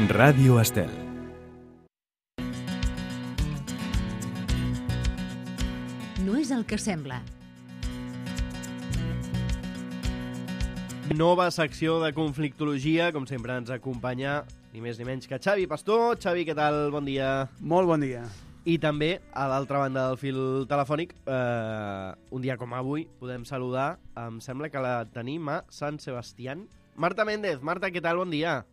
Ràdio Estel. No és el que sembla. Nova secció de conflictologia, com sempre ens acompanya ni més ni menys que Xavi Pastor. Xavi, què tal? Bon dia. Molt bon dia. I també, a l'altra banda del fil telefònic, un dia com avui, podem saludar, em sembla que la tenim a Sant Sebastián. Marta Méndez. Marta, què tal? Bon dia.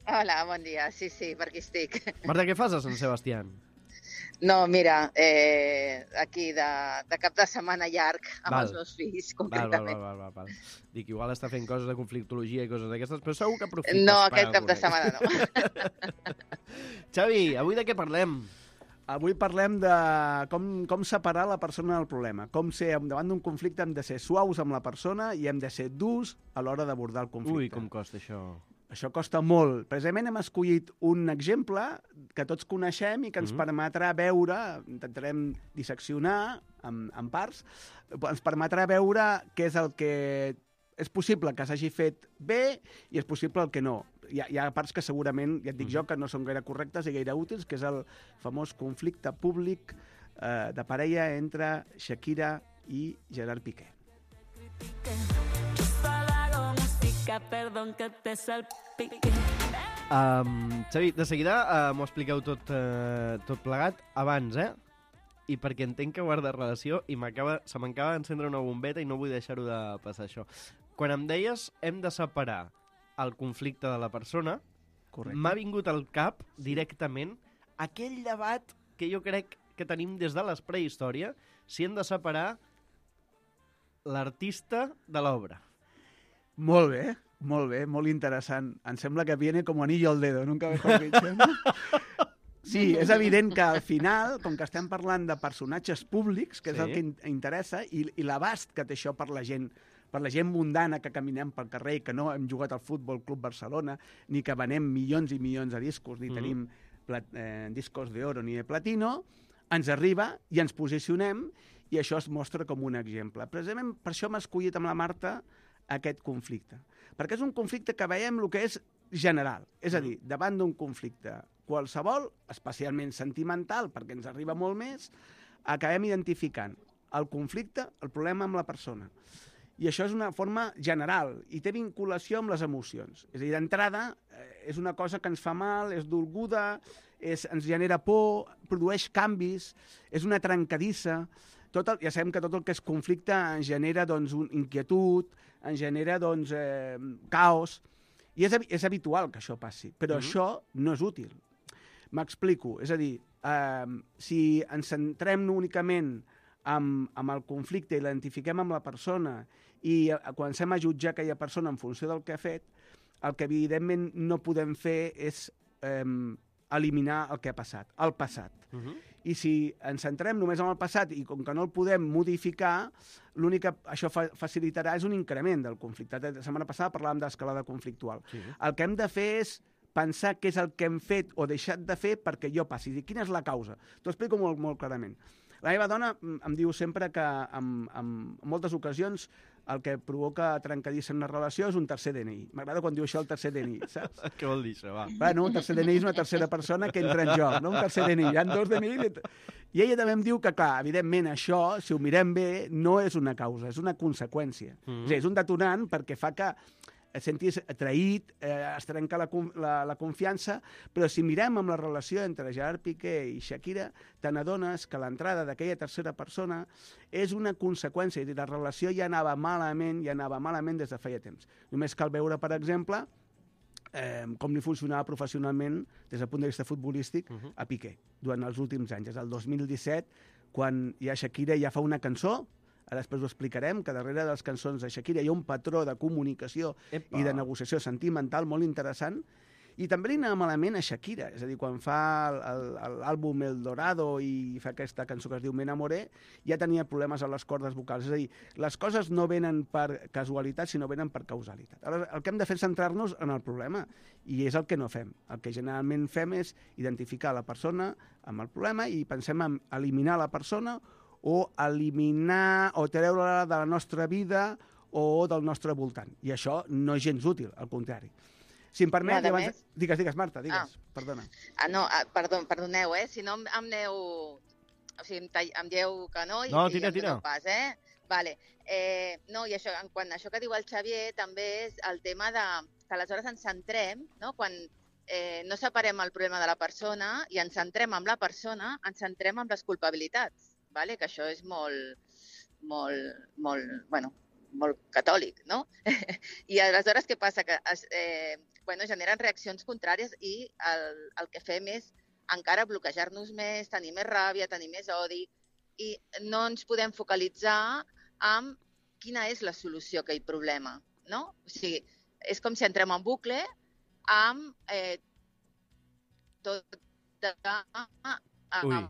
Hola, bon dia. Sí, per aquí estic. Marta, què fas a Sant Sebastián? No, mira, aquí de cap de setmana llarg amb els meus fills, concretament. Val. Dic, igual està fent coses de conflictologia i coses d'aquestes, però segur que aprofites no, per aquest cap de setmana no. Xavi, avui de què parlem? Avui parlem de com separar la persona del problema. Com ser, davant d'un conflicte, hem de ser suaus amb la persona i hem de ser durs a l'hora d'abordar el conflicte. Ui, com costa això. Això costa molt. Precisament hem escollit un exemple que tots coneixem i que ens permetrà veure, intentarem disseccionar en parts, ens permetrà veure què és el que és possible que s'hagi fet bé i és possible el que no. Hi ha parts que segurament, ja et dic jo, que no són gaire correctes i gaire útils, que és el famós conflicte públic de parella entre Shakira i Gerard Piqué. Xavi, de seguida m'ho expliqueu tot plegat abans, i perquè entenc que guarda relació i se m'acaba d'encendre una bombeta i no vull deixar-ho de passar això. Quan em deies hem de separar el conflicte de la persona, m'ha vingut al cap directament aquell debat que jo crec que tenim des de les prehistòria, si hem de separar l'artista de l'obra. Molt bé, molt interessant. Em sembla que viene como anillo al dedo, nunca mejor dicho, ¿no? Sí, és evident que al final, com que estem parlant de personatges públics, que és el que interessa, i l'abast que té això per la gent mundana que caminem pel carrer i que no hem jugat al Futbol Club Barcelona, ni que venem milions i milions de discos, ni tenim discos d'oro ni de platino, ens arriba i ens posicionem i això es mostra com un exemple. Precisament per això hem escollit amb la Marta aquest conflicte. Perquè és un conflicte que veiem el que és general. És a dir, davant d'un conflicte qualsevol, especialment sentimental, perquè ens arriba molt més, acabem identificant el conflicte, el problema amb la persona. I això és una forma general i té vinculació amb les emocions. És a dir, d'entrada, és una cosa que ens fa mal, és dolguda, ens genera por, produeix canvis, és una trencadissa. Ja sabem que tot el que és conflicte ens genera inquietud, ens genera caos, i és habitual que això passi, però això no és útil. M'explico, és a dir, si ens centrem únicament amb el conflicte i l'identifiquem amb la persona i comencem a jutjar aquella persona en funció del que ha fet, el que evidentment no podem fer és eliminar el que ha passat, el passat. I si ens centrem només en el passat i com que no el podem modificar, l'únic que això facilitarà és un increment del conflicte. La setmana passada parlàvem d'escalada conflictual. El que hem de fer és pensar què és el que hem fet o deixat de fer perquè jo passi. Quina és la causa? T'ho explico molt, molt clarament. La meva dona em diu sempre que en moltes ocasions el que provoca trencadissa en una relació és un tercer DNI. M'agrada quan diu això el tercer DNI, saps? Què vol dir això, va? Bueno, un tercer DNI és una tercera persona que entra en joc, no? Un tercer DNI, hi ha dos DNI. I ella també em diu que, clar, evidentment això, si ho mirem bé, no és una causa, és una conseqüència. És a dir, és un detonant perquè fa que et sentis atraït, es trenca la confiança, però si mirem amb la relació entre Gerard Piqué i Shakira, te n'adones que l'entrada d'aquella tercera persona és una conseqüència, és a dir, la relació ja anava malament des de feia temps. Només cal veure, per exemple, com li funcionava professionalment des del punt de vista futbolístic a Piqué durant els últims anys. És el 2017, quan ja Shakira ja fa una cançó, ara després ho explicarem, que darrere de les cançons de Shakira hi ha un patró de comunicació i de negociació sentimental molt interessant, i també li anava malament a Shakira, és a dir, quan fa l'àlbum El Dorado i fa aquesta cançó que es diu Me Enamoré, ja tenia problemes a les cordes vocals, és a dir, les coses no venen per casualitat, sinó venen per causalitat. Aleshores, el que hem de fer és centrar-nos en el problema, i és el que no fem. El que generalment fem és identificar la persona amb el problema i pensem en eliminar la persona o eliminar o treure-la de la nostra vida o del nostre voltant. I això no és gens útil, al contrari. Si em permet, Nada abans... més. Digues, Marta, digues. Perdona. Perdoneu, si no em aneu... O sigui, em dieu que no i No, em tira. doneu pas, Vale. No, i això, quan això que diu el Xavier també és el tema de que aleshores ens centrem, no? Quan no separem el problema de la persona i ens centrem en la persona, ens centrem en les culpabilitats, vale? Que això és molt catòlic, no? I aleshores què passa? Que generen reaccions contràries i el que fem és encara bloquejar-nos més, tenir més ràbia, tenir més odi i no ens podem focalitzar en quina és la solució a aquell problema, no? O sigui, és com si entrem en bucle amb tot de... Ui,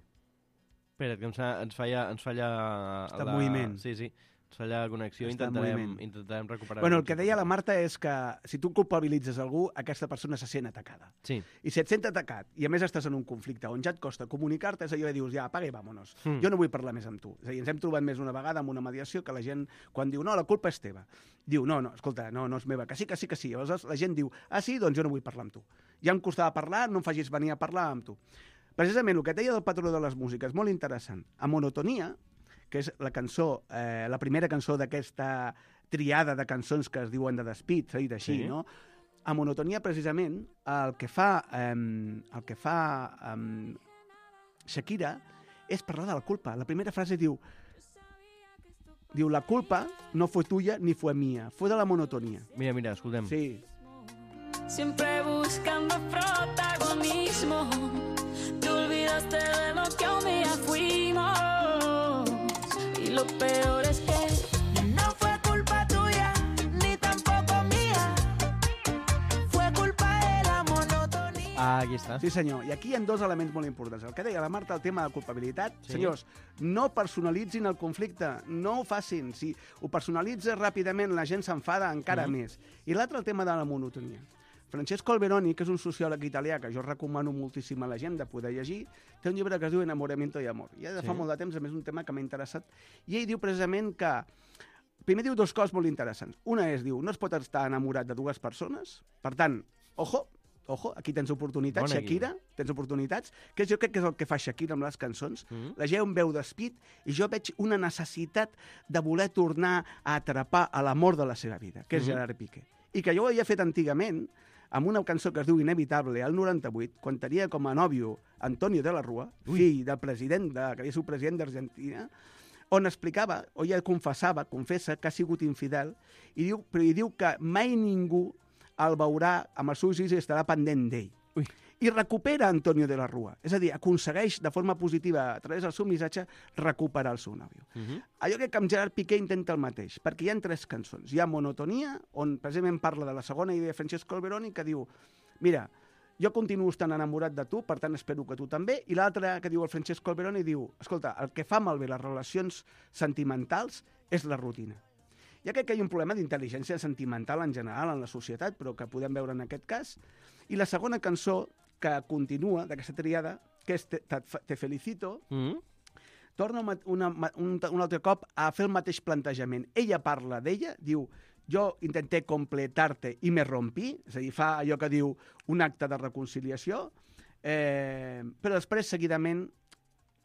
espera't, que ens falla... Està en moviment. Sí, ens falla la connexió, Està en intentarem recuperar-ho. Bueno, el que deia la Marta és que si tu culpabilitzes algú, aquesta persona se sent atacada. Sí. I si et sent atacat, i a més estàs en un conflicte on ja et costa comunicar-te, és allò que dius, ja, apaga i vámonos. Jo no vull parlar més amb tu. És a dir, ens hem trobat més una vegada amb una mediació que la gent, quan diu, no, la culpa és teva, diu, no, escolta, no és meva, que sí. Aleshores la gent diu, sí, doncs jo no vull parlar amb tu. Ja em costava parlar, no em facis venir a parlar amb tu. Precisament el que et deia del patró de les músiques, molt interessant. A Monotonia, que és la cançó, la primera cançó d'aquesta triada de cançons que es diuen de despit, s'ha dit així, sí. No? A Monotonia, precisament, el que fa Shakira és parlar de la culpa. La primera frase diu, la culpa no fue tuya ni fue mía, fue de la monotonía. Mira, escoltem. Sí. Siempre buscando protagonismo, te olvidaste de lo que un día fuimos. Y lo peor es que no fue culpa tuya, ni tampoco mía. Fue culpa de la monotonía. Aquí està. Sí, senyor. I aquí hi ha dos elements molt importants. El que deia la Marta, el tema de culpabilitat. Sí. Senyors, no personalitzin el conflicte, no ho facin. Si ho personalitzes ràpidament, la gent s'enfada encara més. I l'altre, el tema de la monotonia. Francesco Alberoni, que és un sociòleg italià que jo recomano moltíssim a la gent de poder llegir, té un llibre que es diu Enamoramiento y Amor. Ja de fa molt de temps, a més, un tema que m'ha interessat. I ell diu precisament que... Primer diu dues coses molt interessants. Una és, diu, no es pot estar enamorat de dues persones. Per tant, ojo, aquí tens oportunitats, Shakira, tens oportunitats, que jo crec que és el que fa Shakira amb les cançons. La gent veu despit i jo veig una necessitat de voler tornar a atrapar a l'amor de la seva vida, que és Gerard Piqué. I que jo ho havia fet antigament, amb una cançó que es diu Inevitable, al 98, quan tenia com a nòvio Antonio de la Rúa, fill del president, que havia sigut president d'Argentina, on explicava, o ja confessa que ha sigut infidel, i diu que mai ningú el veurà amb els ulls i estarà pendent d'ell. I recupera Antonio de la Rúa. És a dir, aconsegueix de forma positiva, a través del seu missatge, recuperar el seu nòvio. Allò que amb Gerard Piqué intenta el mateix, perquè hi ha 3 cançons. Hi ha Monotonia, on precisament parla de la segona idea de Francesco Alberoni, que diu, mira, jo continuo estant enamorat de tu, per tant espero que tu també, i l'altra que diu el Francesco Alberoni diu, escolta, el que fa malbé les relacions sentimentals és la rutina. Ja crec que hi ha un problema d'intel·ligència sentimental en general en la societat, però que podem veure en aquest cas. I la segona cançó que continua d'aquesta triada, que és Te felicito, torna un altre cop a fer el mateix plantejament. Ella parla d'ella, diu, jo intenté completarte i me rompí, és a dir, fa allò que diu un acte de reconciliació, però després seguidament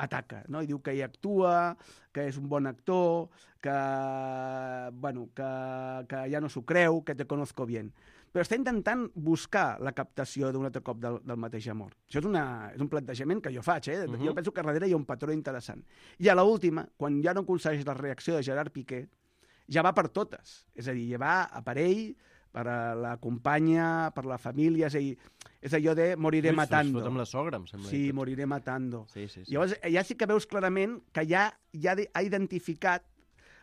ataca, no? I diu que hi actua, que és un bon actor, que ja no s'ho creu, que te conozco bien. Però està intentant buscar la captació d'un altre cop del mateix amor. Això és un plantejament que jo faig, Jo penso que darrere hi ha un patró interessant. I a l'última, quan ja no aconsegueix la reacció de Gerard Piqué, ja va per totes. És a dir, ja va a per ell, per a la companya, per la família, és allò de moriré matando. Es fot amb la sogra, em sembla. Sí, moriré matando. Sí. Llavors, ja sí que veus clarament que ja ha identificat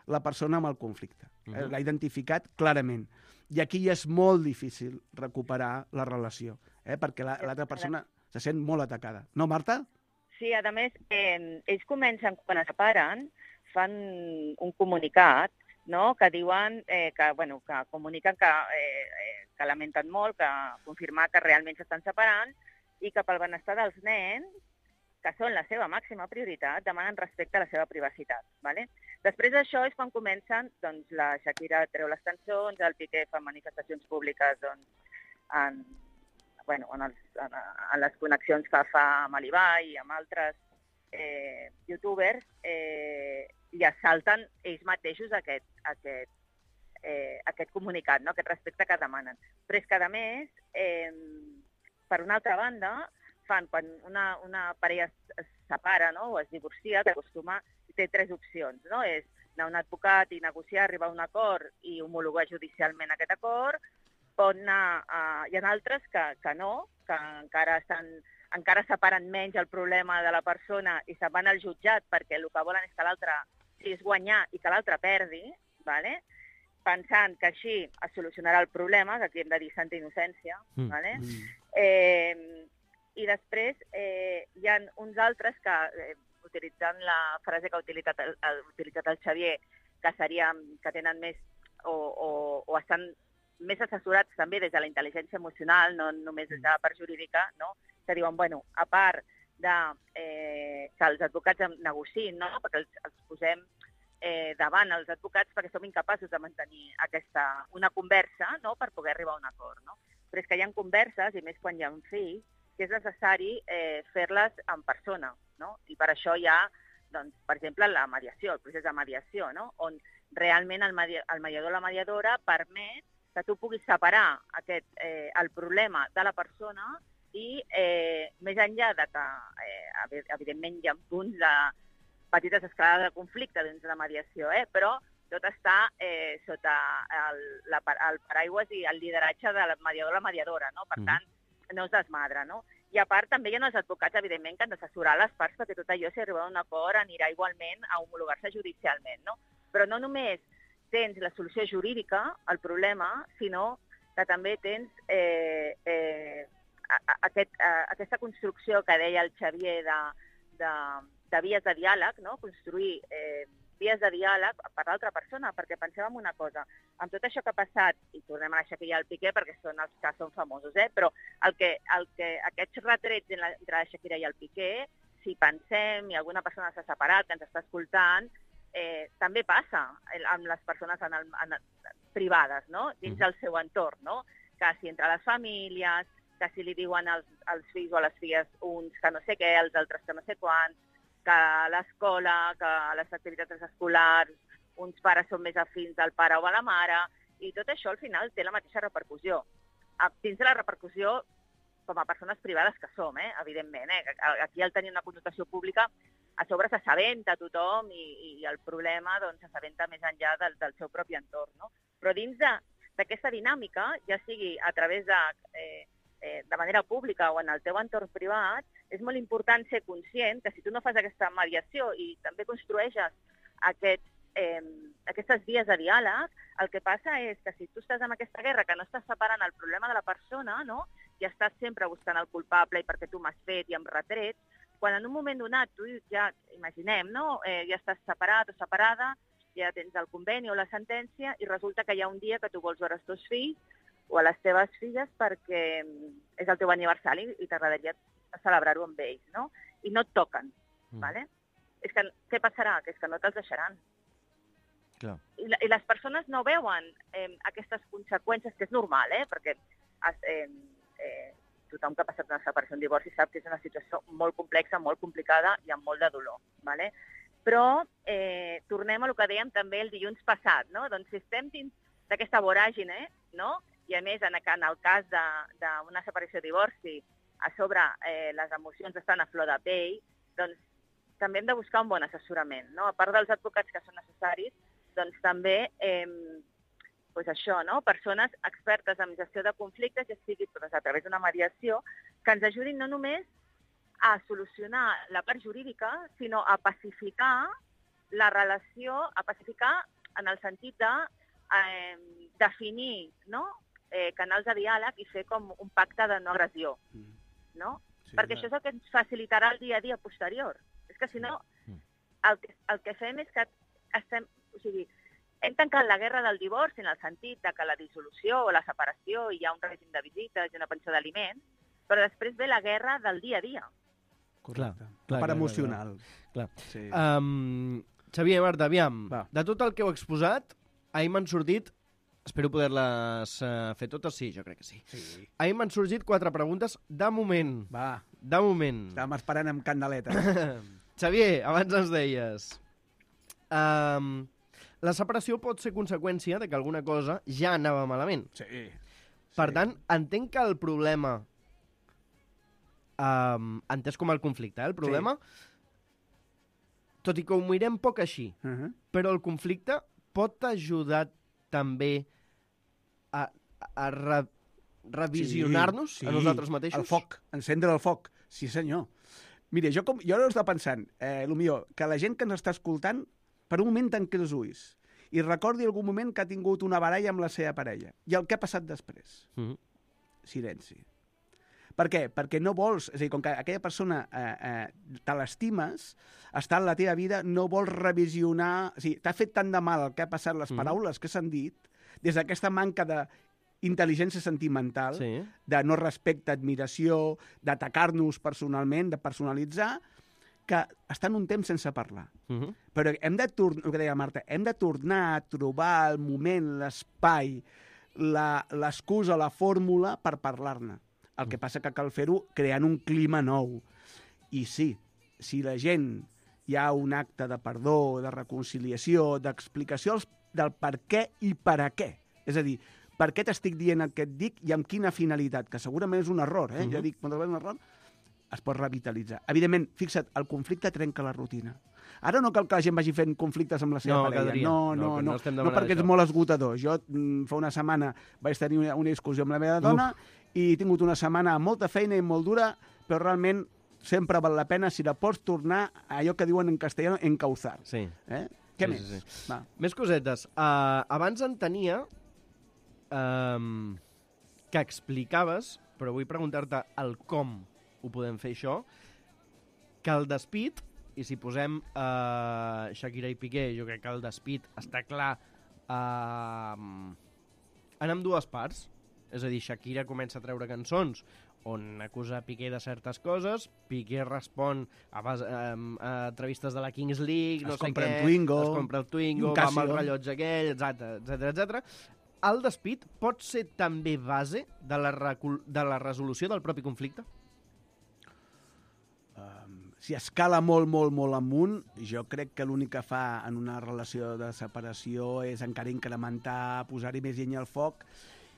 la persona amb el conflicte. L'ha identificat clarament. I aquí ja és molt difícil recuperar la relació, perquè l'altra persona se sent molt atacada. No, Marta? Sí, a més, ells comencen, quan es separen, fan un comunicat, no?, que diuen que comuniquen que lamenten molt, que confirmar que realment s'estan separant i que pel benestar dels nens, que són la seva màxima prioritat, demanen respecte a la seva privacitat. ¿Vale? Després d'això és quan comencen, doncs, la Shakira treu les cançons, el Piqué fa manifestacions públiques doncs, en les connexions que fa amb l'Ibai i amb altres youtubers, i es salten ells mateixos aquest comunicat, no? Aquest respecte que demanen. Però és que, a més, per una altra banda, quan una parella es separa, no? O es divorcia, que acostuma, té 3 opcions, no? És anar a un advocat i negociar, arribar a un acord i homologar judicialment aquest acord. Pot anar... Hi ha altres que no, que encara separen menys el problema de la persona i se'n van al jutjat perquè el que volen és que l'altre és guanyar i que l'altre perdi, ¿vale? Pensant que així es solucionarà el problema, que aquí hem de dir santa innocència, ¿vale? I després hi ha uns altres que, utilitzant la frase que ha utilitzat el Xavier, que tenen més o estan més assessorats també des de la intel·ligència emocional, no només des de la part jurídica, no? Que diuen, bueno, a part de que els advocats negociïn, no? Perquè els posem davant els advocats perquè som incapaços de mantenir una conversa, no? Per poder arribar a un acord, no? Però és que hi ha converses, i més quan hi ha un fill, que és necessari fer-les en persona, no? I per això hi ha, doncs, per exemple, la mediació, el procés de mediació, no? On realment el mediador o la mediadora permet que tu puguis separar el problema de la persona i més enllà de que, evidentment, hi ha punts de petites escalades de conflicte dins de la mediació, però tot està sota el paraigües i el lideratge del mediador o la mediadora, no? Per tant, no es desmadra, no? I a part també hi ha els advocats, evidentment, que han d'assessorar les parts perquè tot allò, si arriba a un acord, anirà igualment a homologar-se judicialment, no? Però no només tens la solució jurídica al problema, sinó que també tens aquesta construcció que deia el Xavier de vies de diàleg, no? Construir vies de diàleg per l'altra persona, perquè pensem en una cosa, amb tot això que ha passat, i tornem a la Shakira i el Piqué, perquè són els que són famosos, però aquests retrets entre la Shakira i el Piqué, si pensem i alguna persona s'ha separat, que ens està escoltant, també passa amb les persones privades, no? Dins del seu entorn, no? Que si entre les famílies, que si li diuen als fills o a les filles uns que no sé què, els altres que no sé quants, que a l'escola, que a les activitats escolars, uns pares són més afins del pare o a la mare, i tot això al final té la mateixa repercussió. Dins de la repercussió, com a persones privades que som, evidentment. Aquí al tenir una connotació pública, a sobre s'assabenta tothom i el problema s'assabenta més enllà del seu propi entorn, no? Però dins d'aquesta dinàmica, ja sigui a través de manera pública o en el teu entorn privat, és molt important ser conscient que si tu no fas aquesta mediació i també construeixes aquestes vies de diàleg, el que passa és que si tu estàs en aquesta guerra que no estàs separant el problema de la persona, no? I estàs sempre buscant el culpable i perquè tu m'has fet i em retrets, quan en un moment donat tu ja, imaginem, no? Ja estàs separat o separada, ja tens el conveni o la sentència i resulta que hi ha un dia que tu vols veure els teus fills o a les teves filles perquè és el teu aniversari i t'agradaria celebrar-ho amb ells, no? I no et toquen, ¿vale? És que què passarà? Que és que no te'ls deixaran. Clar. I les persones no veuen aquestes conseqüències, que és normal, perquè tothom que ha passat una separació, un divorci, sap que és una situació molt complexa, molt complicada i amb molt de dolor, ¿vale? Però tornem a el que dèiem també el dilluns passat, no? Doncs si estem dins d'aquesta voràgine, no? I a més, en el cas d'una separació o divorci, a sobre les emocions estan a flor de pell, doncs també hem de buscar un bon assessorament, no? A part dels advocats que són necessaris, doncs també això, no? Persones expertes en gestió de conflictes, ja sigui a través d'una mediació, que ens ajudin no només a solucionar la part jurídica, sinó a pacificar la relació, a pacificar en el sentit de definir, no? Canals de diàleg i fer com un pacte de no agressió, no? Sí, perquè això és el que ens facilitarà el dia a dia posterior. És que si no, el que fem és que hem tancat la guerra del divorci en el sentit que la dissolució o la separació hi ha un règim de visites i una pensió d'aliments, però després ve la guerra del dia a dia. Correcte. La part emocional. Clar. Sí. Xavier, Marta, aviam, de tot el que heu exposat, ahir m'han sortit Espero poder-les fer totes. Sí, jo crec que sí. Sí. Ahir m'han sorgit 4 preguntes de moment. Va, De moment. estàvem esperant amb candeleta. Xavier, abans ens deies... la separació pot ser conseqüència de que alguna cosa ja anava malament. Sí. Per tant, entenc que el problema... entès com el conflicte, el problema... Tot i que ho mirem poc així, però el conflicte pot ajudar també a revisionar-nos a nosaltres mateixos? El foc, encendre el foc, sí senyor. Mira, jo ara estava pensant, millor, que la gent que ens està escoltant, per un moment tanqui els ulls i recordi algun moment que ha tingut una baralla amb la seva parella i el que ha passat després. Silenci. Per què? Perquè no vols... És a dir, com que aquella persona te l'estimes, està en la teva vida, no vols revisionar... O sigui, t'ha fet tant de mal el que ha passat, les paraules que s'han dit, des d'aquesta manca d'intel·ligència sentimental, de no respecte, admiració, d'atacar-nos personalment, de personalitzar, que estan un temps sense parlar. Però hem de tornar, el que deia Marta, hem de tornar a trobar el moment, l'espai, l'excusa, la fórmula per parlar-ne. El que passa que cal fer-ho creant un clima nou. I sí, si la gent hi ha un acte de perdó, de reconciliació, d'explicació del per què i per a què. És a dir, per què t'estic dient el que et dic i amb quina finalitat, que segurament és un error, ja dic, moltes vegades un error, es pot revitalitzar. Evidentment, fixa't, el conflicte trenca la rutina. Ara no cal que la gent vagi fent conflictes amb la seva parella. No, perquè és molt esgotador. Jo fa una setmana vaig tenir una discussió amb la meva dona i he tingut una setmana amb molta feina i molt dura, però realment sempre val la pena si la pots tornar a allò que diuen en castellà, encauzar. Sí. Què més? Va. Més cosetes. Abans entenia que explicaves, però vull preguntar-te el com ho podem fer això, que el despit, i si posem Shakira i Piqué, jo crec que el despit està clar en ambdues parts. És a dir, Shakira comença a treure cançons on acusa Piqué de certes coses, Piqué respon a entrevistes de la Kings League, no sé què, es compra el Twingo, va amb el rellotge aquell, etc. El despit pot ser també base de la resolució del propi conflicte? Si escala molt, molt, molt amunt, jo crec que l'únic que fa en una relació de separació és encara incrementar, posar-hi més llenya al foc,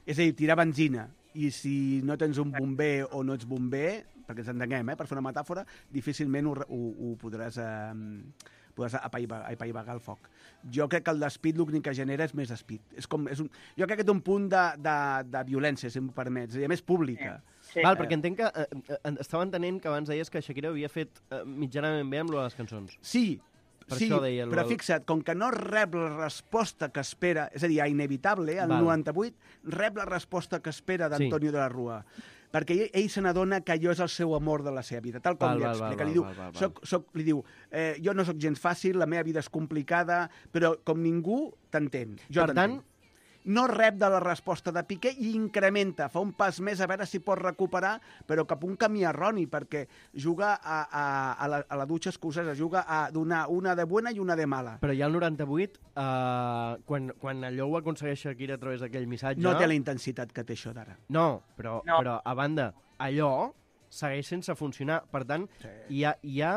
és a dir, tirar benzina. I si no tens un bomber o no ets bomber, perquè ens entenguem, per fer una metàfora, difícilment ho podràs apaivagar el foc. Jo crec que el despit l'únic que genera és més despit. Jo crec que té un punt de violència, si em permets, i a més pública. Sí. Val, perquè entenc que estava entenent que abans deies que Shakira havia fet mitjanament bé amb les cançons. Sí, però fixa't, com que no rep la resposta que espera, és a dir, inevitable, el 98 rep la resposta que espera d'Antonio de la Rúa, perquè ell se n'adona que allò és el seu amor de la seva vida, tal com li explica. Li diu, jo no sóc gens fàcil, la meva vida és complicada, però com ningú t'entén. Per tant, no rep de la resposta de Piqué i incrementa, fa un pas més a veure si pot recuperar, però cap a un camí erroni, perquè juga a la dutxa escocesa, juga a donar una de bona i una de mala. Però ja al 98, quan allò ho aconsegueix Shakira a través d'aquell missatge... No té la intensitat que té això d'ara. No, però a banda, allò segueix sense funcionar. Per tant, hi ha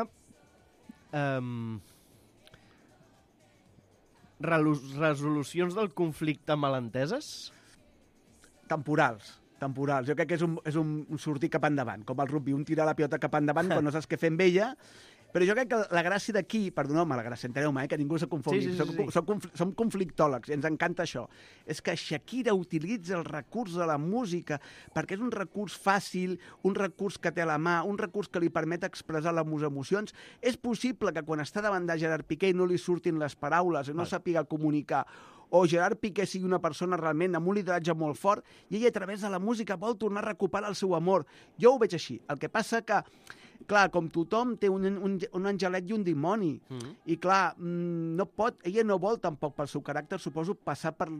resolucions del conflicte malenteses? Temporals. Jo crec que és un sortir cap endavant, com el rugby, un tirar la pilota cap endavant quan no saps què fer amb ella. Però jo crec que la gràcia d'aquí, perdoneu-me, la gràcia, enteneu-me, que ningú se confongui, som conflictòlegs, ens encanta això, és que Shakira utilitza el recurs de la música perquè és un recurs fàcil, un recurs que té a la mà, un recurs que li permet expressar les emocions. És possible que quan està davant de Gerard Piqué no li surtin les paraules, no sàpiga comunicar, o Gerard Piqué sigui una persona realment amb un lideratge molt fort i ell a través de la música vol tornar a recuperar el seu amor. Jo ho veig així. El que passa que clar, com tothom té un angelet i un dimoni, i clar, ella no vol tampoc pel seu caràcter, suposo, passar per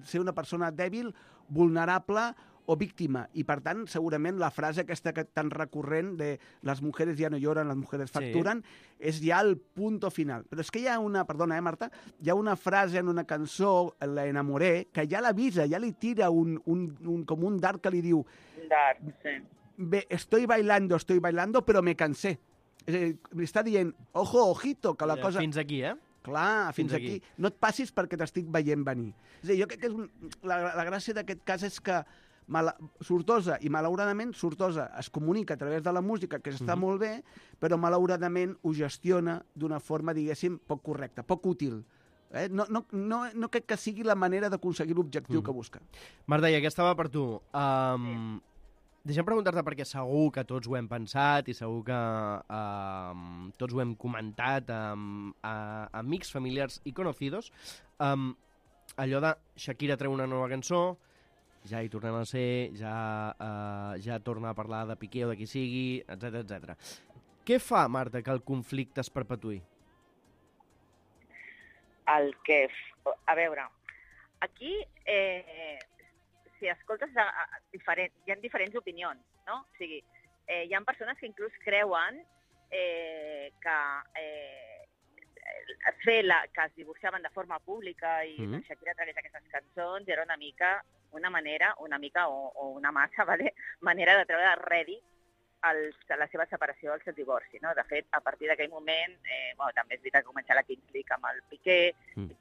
ser una persona dèbil, vulnerable o víctima. I, per tant, segurament la frase aquesta tan recurrent de les mujeres ja no lloran, les mujeres facturen, és ja el punto final. Però és que hi ha una, perdona, Marta, hi ha una frase en una cançó, La enamoré, que ja l'avisa, ja li tira com un dart que li diu Un dart, sí. Estoy bailando, però me cansé. És a dir, li està dient, ojo, ojito, que la cosa... Fins aquí, Clar, fins aquí. No et passis perquè t'estic veient venir. És a dir, jo crec que la gràcia d'aquest cas és que Sortosa, i malauradament Sortosa es comunica a través de la música, que està molt bé, però malauradament ho gestiona d'una forma, diguéssim, poc correcta, poc útil. No crec que sigui la manera d'aconseguir l'objectiu que busca. Marta, i aquesta va per tu. Deixa'm preguntar-te, perquè segur que tots ho hem pensat i segur que tots ho hem comentat amb amics, familiars i conocidos, allò de Shakira treu una nova cançó, ja hi tornem a ser, ja torna a parlar de Piqué o de qui sigui, etc etc. Què fa, Marta, que el conflicte es perpetuï? A veure, aquí... si escoltes, hi ha diferents opinions, no? O sigui, hi ha persones que inclús creuen que que es divorciaven de forma pública i la Shakira tragués aquestes cançons era una mica o una massa, ¿vale? Manera de treure rèdit la seva separació del seu divorci, no? De fet, a partir d'aquell moment, també és veritat que comença la Kings League amb el Piqué,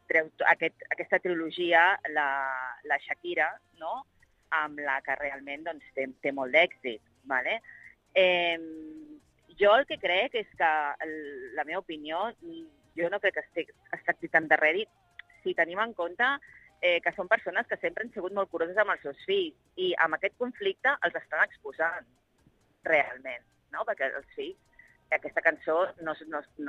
treu aquesta trilogia, la Shakira, no? Amb la que realment doncs, té molt d'èxit. ¿Vale? Jo el que crec és que, la meva opinió, jo no crec que es tracti tant de rèdit si tenim en compte que són persones que sempre han sigut molt curoses amb els seus fills i amb aquest conflicte els estan exposant realment, no? Perquè els fills, aquesta cançó no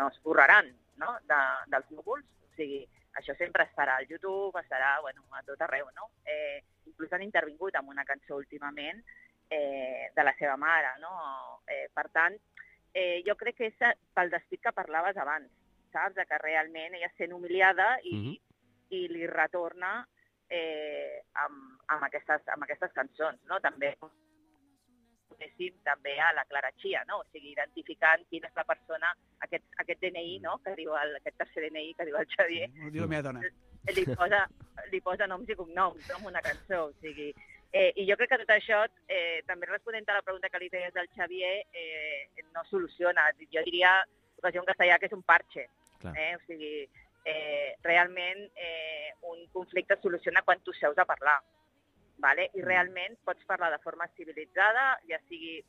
esborraran, no? Dels núvols, o sigui, això sempre estarà al YouTube, estarà a tot arreu, no? Inclús han intervingut amb una cançó últimament de la seva mare, no? Per tant, jo crec que és pel despit que parlaves abans, saps? Que realment ella sent humiliada i li retorna amb aquestes cançons, no? També a la Clara Chia, no? O sigui, identificant quina és la persona, aquest DNI, no? Que diu aquest tercer DNI que diu el Xavier, diu la meva dona. Li posa noms i cognoms en una cançó, o sigui... I jo crec que tot això, també responent a la pregunta que li feies del Xavier, no soluciona. Jo diria, en castellà, que és un parche. O sigui, realment un conflicte es soluciona quan tu seus a parlar. Vale? I realment pots parlar de forma civilitzada, ja sigui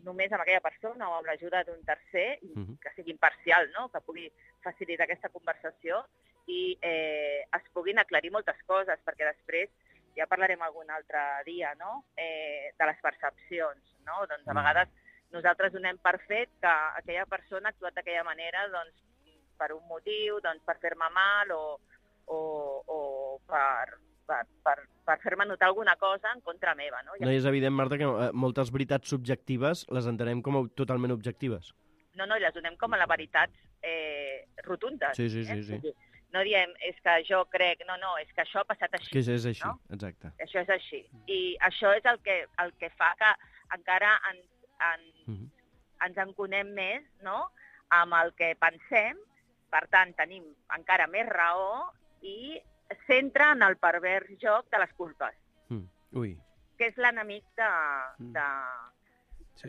només amb aquella persona o amb l'ajuda d'un tercer, que sigui imparcial, no? Que pugui facilitar aquesta conversació i es puguin aclarir moltes coses, perquè després ja parlarem algun altre dia, no? De les percepcions, no? Doncs a vegades nosaltres donem per fet que aquella persona ha actuat d'aquella manera doncs, per un motiu, doncs, per fer-me mal o per fer-me notar alguna cosa en contra meva. No, és evident, Marta, que moltes veritats subjectives les entenem com totalment objectives. No, i les donem com a les veritats rotundes. Sí. No diem, és que jo crec, no, és que això ha passat així. Que és així, no? Exacte. Això és així. I això és el que fa que encara ens enconem més, no?, amb el que pensem, per tant, tenim encara més raó i centra en el pervers joc de les culpes, que és l'enemic de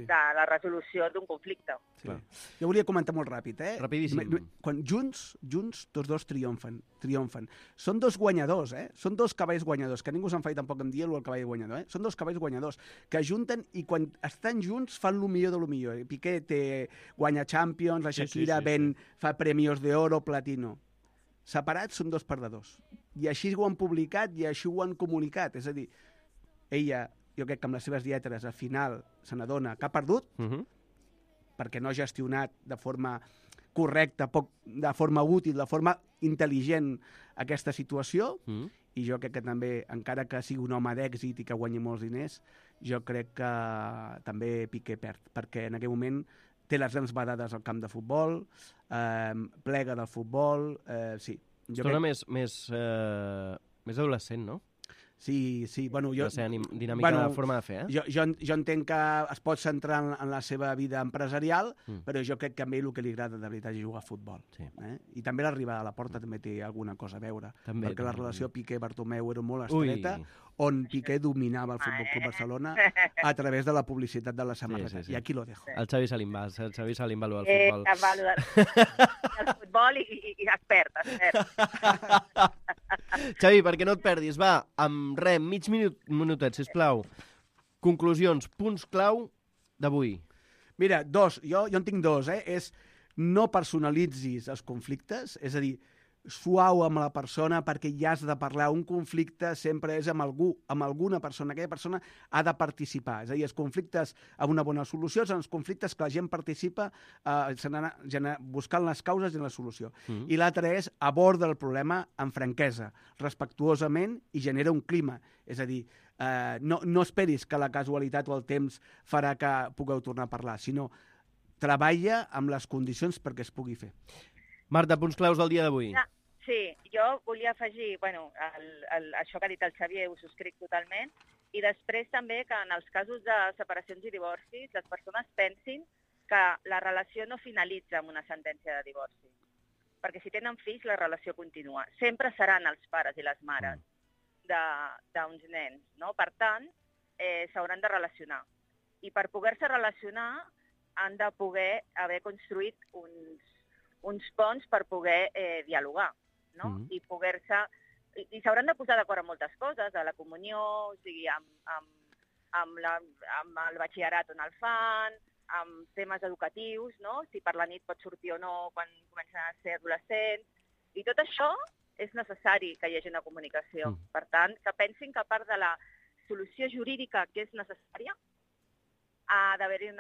la resolució d'un conflicte. Sí. Jo volia comentar molt ràpid, Rapidíssim. Quan junts, tots dos triomfen. Són dos guanyadors, Són dos cavalls guanyadors, que ningú se'n fa tampoc en dir-ho el cavall guanyador, Són dos cavalls guanyadors, que junten i quan estan junts fan lo millor de lo millor. Piqué guanya Champions, la Shakira fa premios d'oro, platino. Separats són dos perdedors. I així ho han publicat i així ho han comunicat. És a dir, ella, jo crec que amb les seves lletres, al final se n'adona que ha perdut, perquè no ha gestionat de forma correcta, de forma útil, de forma intel·ligent aquesta situació, i jo crec que també, encara que sigui un home d'èxit i que guanyi molts diners, jo crec que també Piqué perd, perquè en aquell moment té les grans badades al camp de futbol, plega del futbol, sí. Estona més adolescent, no? Sí, bueno, jo... La seva dinàmica de forma de fer, Jo entenc que es pot centrar en la seva vida empresarial, però jo crec que a ell el que li agrada de veritat és jugar a futbol. Sí. I també l'arribada a la porta també té alguna cosa a veure, també, perquè la relació Piqué-Bartomeu era molt estreta, on Piqué dominava el Futbol Club Barcelona a través de la publicitat de la samarreta. Sí. I aquí lo dejo. El Xavi Salimbà, el futbol. El futbol i expert. Xavi, perquè no et perdis, va, amb mig minutet, sisplau. Conclusions, punts clau d'avui. Mira, jo en tinc dos, és no personalitzis els conflictes, és a dir, suau amb la persona perquè ja has de parlar. Un conflicte sempre és amb algú, amb alguna persona. Aquella persona ha de participar. És a dir, els conflictes amb una bona solució són els conflictes que la gent participa buscant les causes i la solució. I l'altre és aborda el problema amb franquesa, respectuosament, i genera un clima. És a dir, no esperis que la casualitat o el temps farà que pugueu tornar a parlar, sinó treballa amb les condicions perquè es pugui fer. Marta, punts claus del dia d'avui. Sí, jo volia afegir, això que ha dit el Xavier ho subscric totalment, i després també que en els casos de separacions i divorcis les persones pensin que la relació no finalitza amb una sentència de divorci, perquè si tenen fills la relació continua. Sempre seran els pares i les mares d'uns nens, no? Per tant, s'hauran de relacionar. I per poder-se relacionar han de poder haver construït uns ponts per poder dialogar, no? I s'hauran de posar d'acord amb moltes coses, a la comunió, o sigui, amb el batxillerat on el fan, amb temes educatius, no? Si per la nit pot sortir o no quan comencen a ser adolescents. I tot això és necessari que hi hagi una comunicació. Per tant, que pensin que a part de la solució jurídica que és necessària, ha d'haver-hi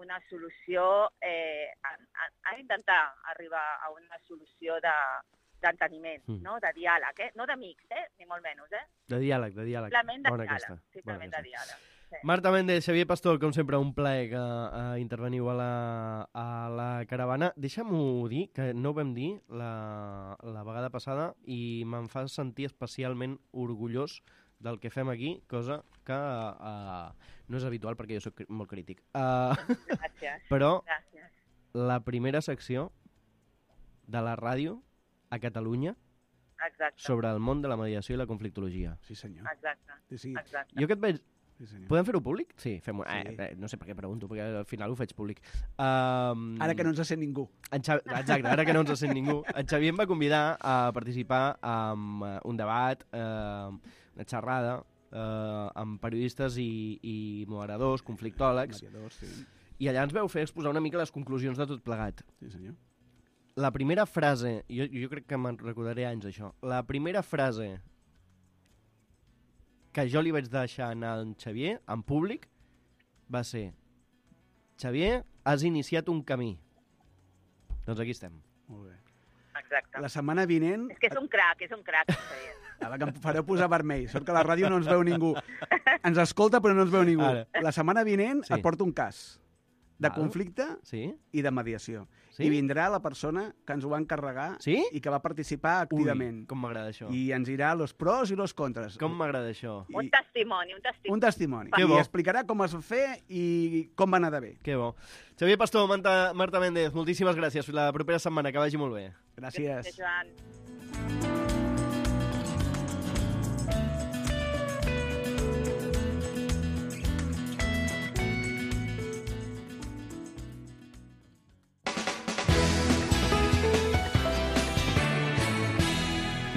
una solució, ha d'intentar arribar a una solució d'enteniment, no? De diàleg, no d'amics, ni molt menys. De diàleg. Simplement de diàleg. Simplement de diàleg. Sí. Marta Méndez, Xavier Pastor, com sempre, un plaer que interveniu a la caravana. Deixa'm-ho dir, que no ho vam dir la vegada passada, i me'n fa sentir especialment orgullós del que fem aquí, cosa que no és habitual perquè jo soc molt crític. Gràcies. Però Gràcies. La primera secció de la ràdio a Catalunya sobre el món de la mediació i la conflictologia. Sí, senyor. Exacte. Sí. Exacte. Jo que et veig... Sí, senyor. Podem fer-ho públic? Sí, fem-ho. Sí. No sé per què pregunto, perquè al final ho faig públic. Ara que no ens sent ningú. Exacte, ara que no ens sent ningú. En Xavier em va convidar a participar en un debat, una xerrada, amb periodistes i moderadors, conflictòlegs, Sí. i allà ens veu fer exposar una mica les conclusions de tot plegat. Sí, senyor. La primera frase, jo crec que me'n recordaré anys d'això, la primera frase que jo li vaig deixar anar a en Xavier, en públic, va ser: Xavier, has iniciat un camí. Doncs aquí estem. Molt bé. Exacte. La setmana vinent... És que és un crac, Xavier. Ara que em fareu posar vermell. Sort que a la ràdio no ens veu ningú. Ens escolta però no ens veu ningú. Ara. La setmana vinent Sí. et porto un cas de Val. conflicte Sí? i de mediació. Sí? I vindrà la persona que ens ho va encarregar Sí? i que va participar activament. Ui, com m'agrada això. I ens dirà los pros i los contras. Com m'agrada això. Un testimoni. Un testimoni. Que I bo. explicarà com es va fer i com va anar de bé. Que bo. Xavier Pastor, Marta Méndez, moltíssimes gràcies. Fins la propera setmana, que vagi molt bé. Gràcies. Joan.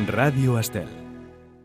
Ràdio Estel.